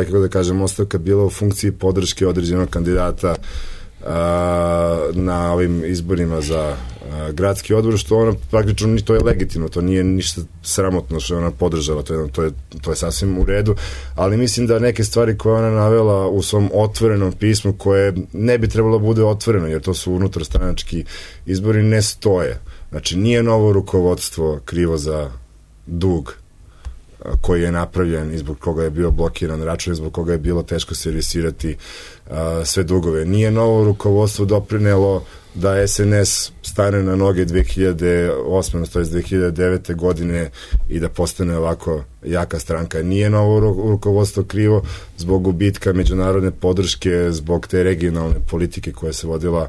kako da kažem, ostavka bila u funkciji podrške određenog kandidata na ovim izborima za gradski odbor, što ona praktično, to je legitimno, to nije ništa sramotno što je ona podržala, to je sasvim u redu, ali mislim da neke stvari koje ona navela u svom otvorenom pismu, koje ne bi trebalo bude otvoreno, jer to su unutarstranački izbori, ne stoje. Znači, nije novo rukovodstvo krivo za dug koji je napravljen i zbog koga je bio blokiran račun i zbog koga je bilo teško servisirati sve dugove. Nije novo rukovodstvo doprinelo da SNS stane na noge 2008. to je 2009. godine i da postane ovako jaka stranka. Nije novo rukovodstvo krivo zbog gubitka međunarodne podrške, zbog te regionalne politike koja se vodila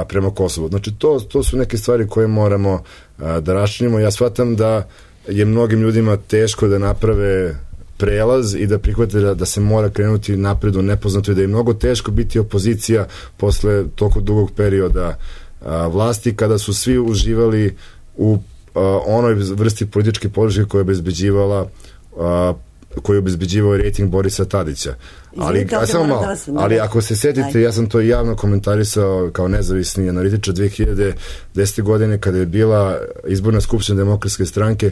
prema Kosovu. Znači, to su neke stvari koje moramo da raščinimo. Ja shvatam da je mnogim ljudima teško da naprave prelaz i da prihvate da se mora krenuti napred u nepoznato i da je mnogo teško biti opozicija posle toliko dugog perioda vlasti, kada su svi uživali u onoj vrsti političke podrške koja je obezbeđivao rejting Borisa Tadića. Ali ako se setite, ja sam to javno komentarisao kao nezavisni analitičar 2010. godine kada je bila izborna skupština Demokratske stranke,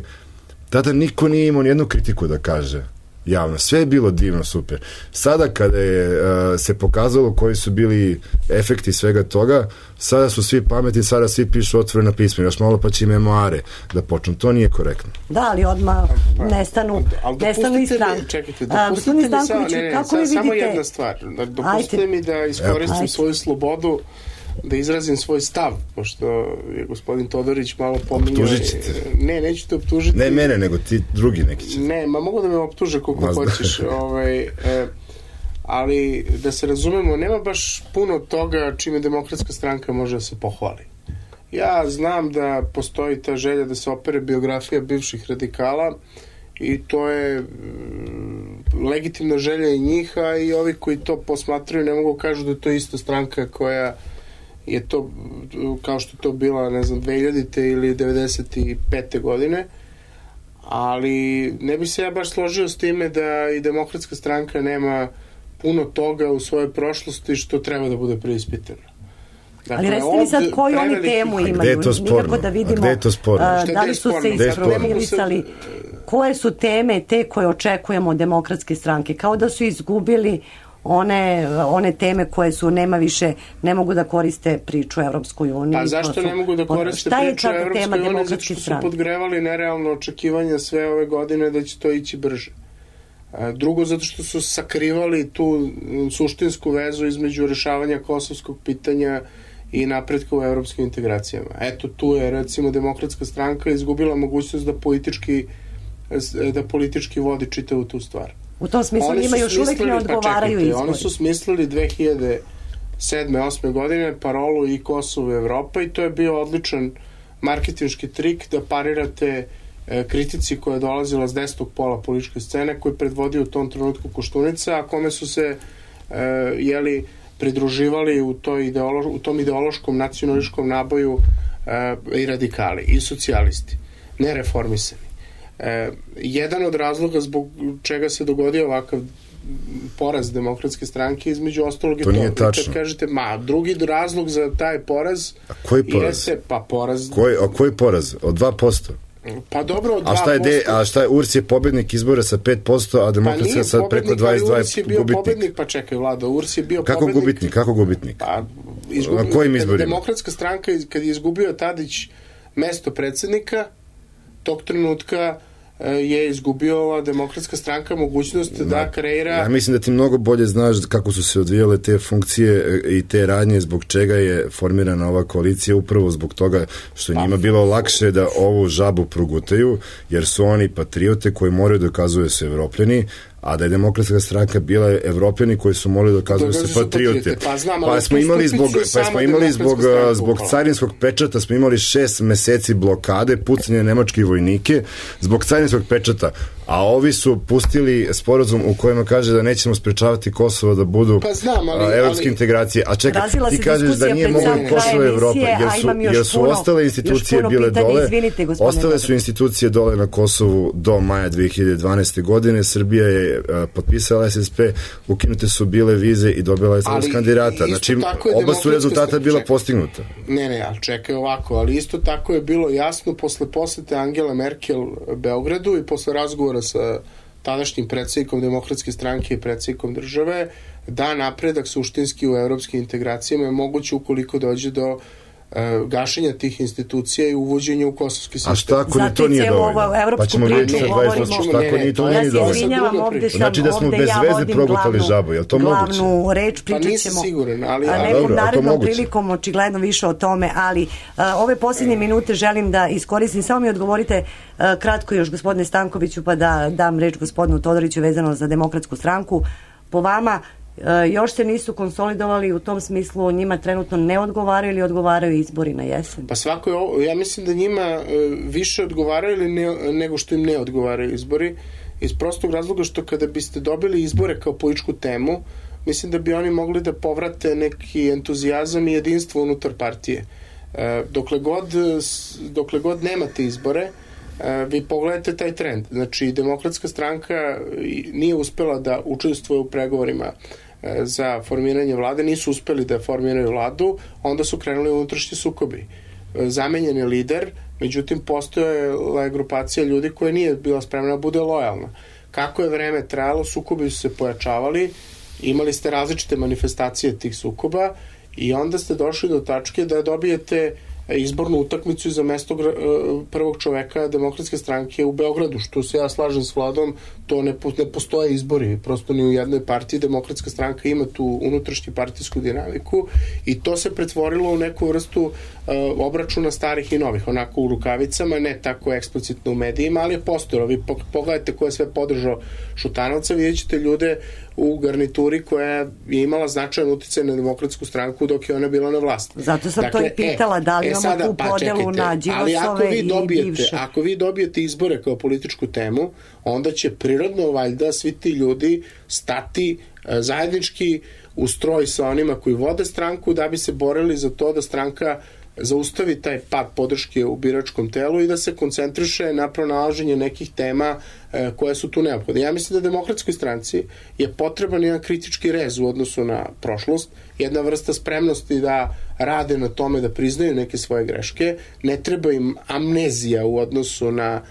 tada niko nije imao nijednu kritiku da kaže javno. Sve je bilo divno, super. Sada kada je se pokazalo koji su bili efekti svega toga, sada su svi pametni, sada svi pišu otvorena pisma, još malo pa će i memoare da počnu. To nije korektno. Da, ali odmah nestanu i stranke. Čekajte, dopustite mi samo jedna stvar. Dopustite mi da iskoristim svoju slobodu da izrazim svoj stav, pošto je gospodin Todorić malo pominjao. Optužit ćete. Ne, neću te optužiti. Ne mene, nego ti drugi neki će. Ne, mogu da me optuže koliko hoćeš. Ali, da se razumemo, nema baš puno toga čime Demokratska stranka može da se pohvali. Ja znam da postoji ta želja da se opere biografija bivših radikala i to je legitimna želja i njih, a i ovi koji to posmatraju ne mogu kažu da je to ista stranka koja je to, kao što je to bila, ne znam, 2000. ili 95. godine, ali ne bi se ja baš složio s time da i Demokratska stranka nema puno toga u svojoj prošlosti što treba da bude preispitano. Dakle, ali recite mi sad koju oni temu imaju, nikako da vidimo da li su se isprofilisali, koje su teme te koje očekujemo od Demokratske stranke, kao da su izgubili one teme koje su, ne mogu da koriste priču o Evropskoj uniji. Pa zašto ne mogu da koriste priču o Evropskoj uniji? Zato što su podgrevali nerealno očekivanja sve ove godine da će to ići brže. Drugo, zato što su sakrivali tu suštinsku vezu između rešavanja kosovskog pitanja i napretka u evropskim integracijama. Eto, tu je, recimo, Demokratska stranka izgubila mogućnost da politički vodi čitavu tu stvar. U tom smislu njima još uvek ne odgovaraju izbori. Oni su smislili 2007-2008. godine parolu i Kosovo i Evropa i to je bio odličan marketinški trik da parirate kritici koja je dolazila s desnog pola političke scene, koji je predvodio u tom trenutku Koštunica, a kome su se pridruživali u tom ideološkom nacionalističkom naboju i radikali i socijalisti, nereformisani. Jedan od razloga zbog čega se dogodio ovakav poraz Demokratske stranke, između ostalog je to. Nije tačno. Kad kažete, drugi razlog za taj poraz... A koji poraz? Koji poraz? Od 2%? Pa dobro, od 2%. A šta je, URS je pobednik izbora sa 5%, a Demokratska sad preko 22% URS je bio pobednik, pa čekaj, Vlado, URS je bio pobednik. Kako gubitnik? Pa, na kojim izborima? Demokratska stranka, kad je izgubio Tadić mesto predsednika, tog trenutka je izgubila Demokratska stranka mogućnost da kreira... Ja mislim da ti mnogo bolje znaš kako su se odvijale te funkcije i te radnje, zbog čega je formirana ova koalicija, upravo zbog toga što njima bilo lakše da ovu žabu progutaju, jer su oni patriote koji moraju dokazuju se Evropljani, a da je Demokratska stranka bila Evropljani koji su morali dokazuju se patriote. Pa smo imali zbog carinskog pečata, smo imali 6 meseci blokade, pucanje nemačkih vojnike zbog carinskog pečata, a ovi su pustili sporazum u kojem kaže da nećemo sprečavati Kosovo da budu evropske integracije. A čekaj, ti kažeš da nije moglo Kosovo Evropa, jer su ostale institucije bile dole. Ostale su institucije dole na Kosovu do maja 2012. godine. Srbija je potpisala SSP, ukinute su bile vize i dobila je status kandidata. Znači, oba su rezultata bila postignuta. Ne, ali čekaj ovako, ali isto tako je bilo jasno posle posete Angela Merkel Beogradu i posle razgovora sa tadašnjim predsjednikom Demokratske stranke i predsjednikom države, da napredak suštinski u evropskim integracijama je moguće ukoliko dođe do gašenja tih institucija i uvođenja u kosovski sistem. A šta ako ni to nije dovoljno? Pa ćemo vidjeti sa 20%. Šta ako ni to nije dovoljno? Znači da smo bez veze progutali žabu. Je li to moguće? Glavnu reč pričat ćemo. Pa nisam siguran, ali... Nekom narednom prilikom očigledno više o tome, ali ove posljednje minute želim da iskoristim. Samo mi odgovorite kratko još, gospodine Stankoviću, pa da dam reč gospodinu Todoriću vezano za Demokratsku stranku. Po vama, još se nisu konsolidovali, u tom smislu njima trenutno ne odgovaraju ili odgovaraju izbori na jesen? Pa ja mislim da njima više odgovaraju nego što im ne odgovaraju izbori, iz prostog razloga što kada biste dobili izbore kao političku temu, mislim da bi oni mogli da povrate neki entuzijazam i jedinstvo unutar partije. Dokle god nemate izbore, vi pogledajte taj trend. Znači, Demokratska stranka nije uspela da učestvuje u pregovorima za formiranje vlade, nisu uspeli da formiraju vladu, onda su krenuli unutrašnji sukobi. Zamenjen je lider, međutim, postojala je grupacija ljudi koja nije bila spremna da bude lojalna. Kako je vreme trajalo, sukobi su se pojačavali, imali ste različite manifestacije tih sukoba i onda ste došli do tačke da dobijete izbornu utakmicu za mesto prvog čoveka Demokratske stranke u Beogradu, što se ja slažem s Vladom, to ne postoje izbori, prosto ni u jednoj partiji. Demokratska stranka ima tu unutrašnju partijsku dinamiku i to se pretvorilo u neku vrstu obračuna starih i novih, onako u rukavicama, ne tako eksplicitno u medijima, ali je postojalo. Vi pogledajte ko je sve podržao Šutanovca, vidjet ćete ljude u garnituri koja je imala značajan uticaj na Demokratsku stranku dok je ona bila na vlasti. Zato sam to i pitala, da li imamo tu podelu na Đilasove i bivše. Ako vi dobijete izbore kao političku temu, onda će prirodno valjda svi ti ljudi stati zajednički u stroj sa onima koji vode stranku da bi se borili za to da stranka zaustavi taj pad podrške u biračkom telu i da se koncentriše na pronalaženje nekih tema koje su tu neophodne. Ja mislim da Demokratskoj stranci je potreban jedan kritički rez u odnosu na prošlost, jedna vrsta spremnosti da rade na tome, da priznaju neke svoje greške, ne treba im amnezija u odnosu na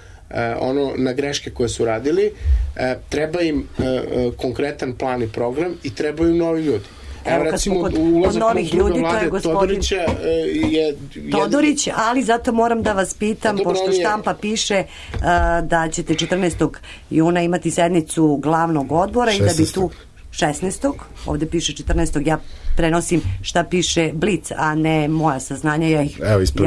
na greške koje su radili, treba im konkretan plan i program i trebaju im novi ljudi. Evo, recimo, kod novih ljudi, to je gospodin Todorić, ali zato moram da vas pitam, pošto štampa piše da ćete 14. juna imati sednicu glavnog odbora 16. i da bi tu 16. ovde piše 14. ja prenosim šta piše Blic, a ne moja saznanja, ja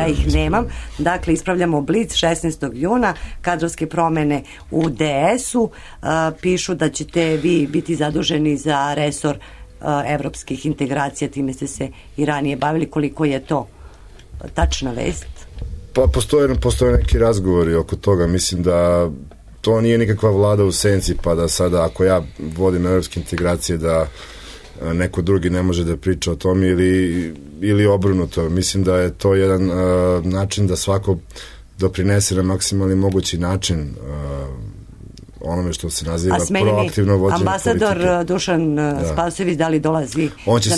ih nemam. Dakle, ispravljamo Blic 16. juna, kadrovske promene u DS-u, pišu da ćete vi biti zaduženi za resor evropskih integracija, time ste se i ranije bavili. Koliko je to tačna vest? Pa postoje neki razgovori oko toga. Mislim da to nije nikakva vlada u senci, pa da sada ako ja vodim evropske integracije da neko drugi ne može da priča o tom ili obrnuto. Mislim da je to jedan način da svako doprinese na maksimalni mogući način onome što se naziva proaktivno vođenje politike. Ambasador Dušan Spasojević, da li dolazi? On će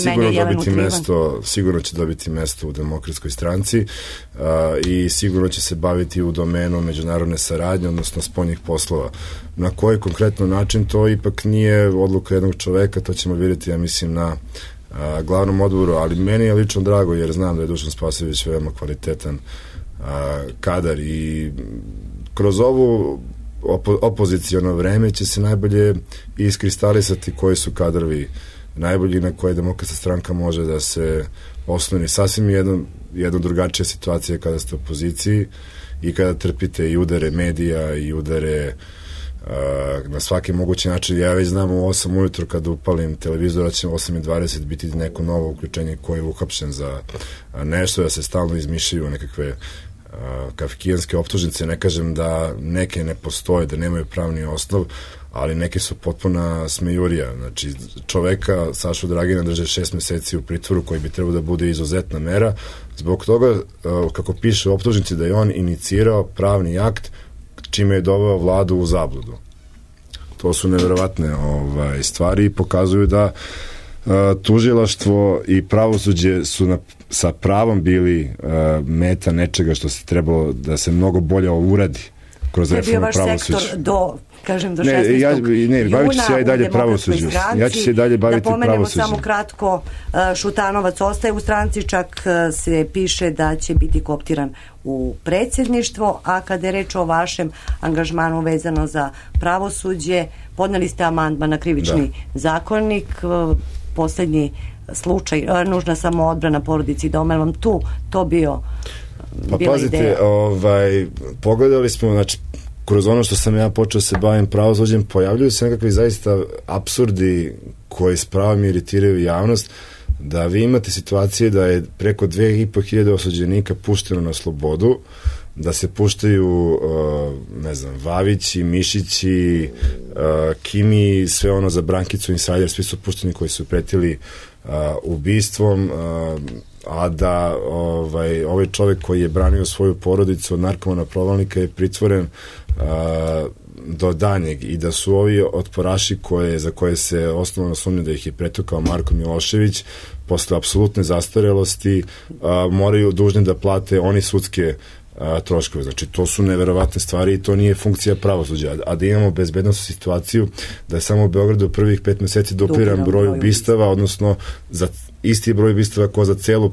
sigurno će dobiti mesto u Demokratskoj stranci i sigurno će se baviti u domenu međunarodne saradnje, odnosno spoljnih poslova. Na koji konkretno način, to ipak nije odluka jednog čoveka, to ćemo vidjeti, ja mislim, na glavnom odboru, ali meni je lično drago jer znam da je Dušan Spasojević veoma kvalitetan kadar i kroz ovu opoziciono vreme će se najbolje iskristalisati koji su kadrovi najbolji na koje Demokratska stranka može da se osloni. Sasvim jedna drugačija situacija kada ste u opoziciji i kada trpite i udare medija i udare na svaki mogući način. Ja već znam u 8 ujutru kada upalim televizor da će 8:20 biti neko novo uključenje koji je uhapšen za nešto, da se stalno izmišljaju nekakve kafkijanske optužnice. Ne kažem da neke ne postoje, da nemaju pravni osnov, ali neke su potpuna smejurija. Znači, čoveka, Sašu Dragina, drže 6 meseci u pritvoru koji bi trebao da bude izuzetna mera. Zbog toga, kako piše u optužnici, da je on inicirao pravni akt čime je doveo vladu u zabludu. To su neverovatne stvari i pokazuju da tužilaštvo i pravosuđe su sa pravom bili meta nečega što se trebalo da se mnogo bolje uradi kroz reformu pravosuđa. To je bio vaš sektor do 16. Ne, bavit ću se ja i dalje pravosuđu. Ja ću se i dalje baviti pravosuđu. Da pomenemo samo kratko, Šutanovac ostaje u stranci, čak se piše da će biti kooptiran u predsjedništvo, a kada je reč o vašem angažmanu vezano za pravosuđe, podneli ste amandman na krivični zakonik, poslednji slučaj, nužna samoodbrana porodici doma, je vam to bio bila ideja? Pogledali smo, znači, kroz ono što sam ja počeo se bavim pravosuđem, pojavljuju se nekakvi zaista apsurdi koji s pravom iritiraju javnost, da vi imate situacije da je preko 2500 osuđenika pušteno na slobodu, da se puštaju Vavići, Mišići, Kimi, sve ono za Brankicu Insider, svi su pušteni koji su pretili ubistvom, a da ovaj čovjek koji je branio svoju porodicu od narkomana provalnika je pritvoren do danjeg i da su ovi otporaši za koje se osnovno sumnja da ih je pretukao Marko Milošević posle apsolutne zastarelosti moraju dužni da plate oni sudske troškove. Znači, to su neverovatne stvari i to nije funkcija pravosuđa. A da imamo bezbednosnu situaciju da je samo u Beogradu prvih 5 meseci dupliran broj ubistava, odnosno za isti broj ubistava kao za celu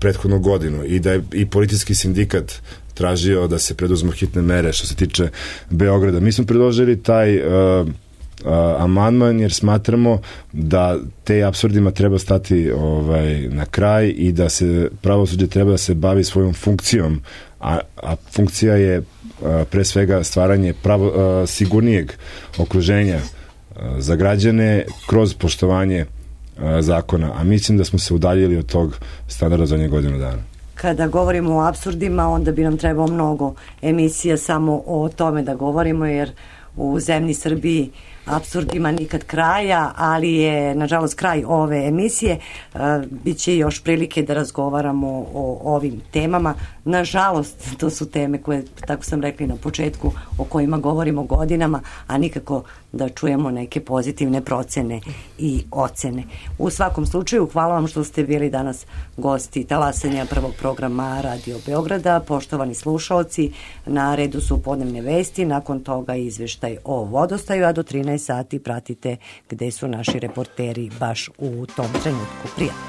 prethodnu godinu i da je i policijski sindikat tražio da se preduzmu hitne mere što se tiče Beograda. Mi smo predložili taj amandman jer smatramo da te apsurdima treba stati na kraj i da se pravosuđe treba da se bavi svojom funkcijom, a funkcija je pre svega stvaranje sigurnijeg okruženja za građane kroz poštovanje zakona, a mislim da smo se udaljili od tog standarda zadnjih godinu dana. Kada govorimo o apsurdima, onda bi nam trebalo mnogo emisija samo o tome da govorimo, jer u zemlji Srbiji apsurdima nikad kraja, ali je nažalost kraj ove emisije. Biće još prilike da razgovaramo o ovim temama. Nažalost, to su teme koje, tako sam rekli na početku, o kojima govorimo godinama, a nikako da čujemo neke pozitivne procene i ocene. U svakom slučaju, hvala vam što ste bili danas gosti talasanja prvog programa Radio Beograda. Poštovani slušaoci, na redu su podnevne vesti, nakon toga izveštaj o vodostaju, a do 13 sati pratite gde su naši reporteri baš u tom trenutku. Prijatno.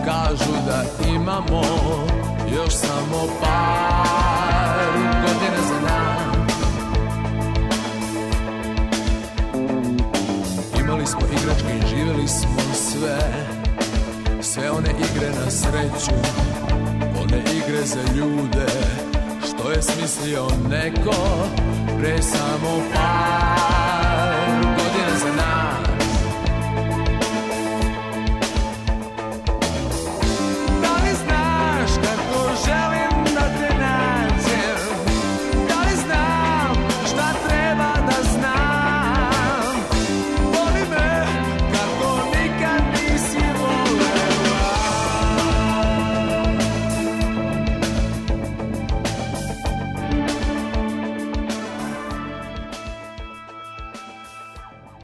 Kažu da imamo još samo par godina za nam. Imali smo igračke i živjeli smo sve one igre na sreću, one igre za ljude, što je smislio neko pre samo par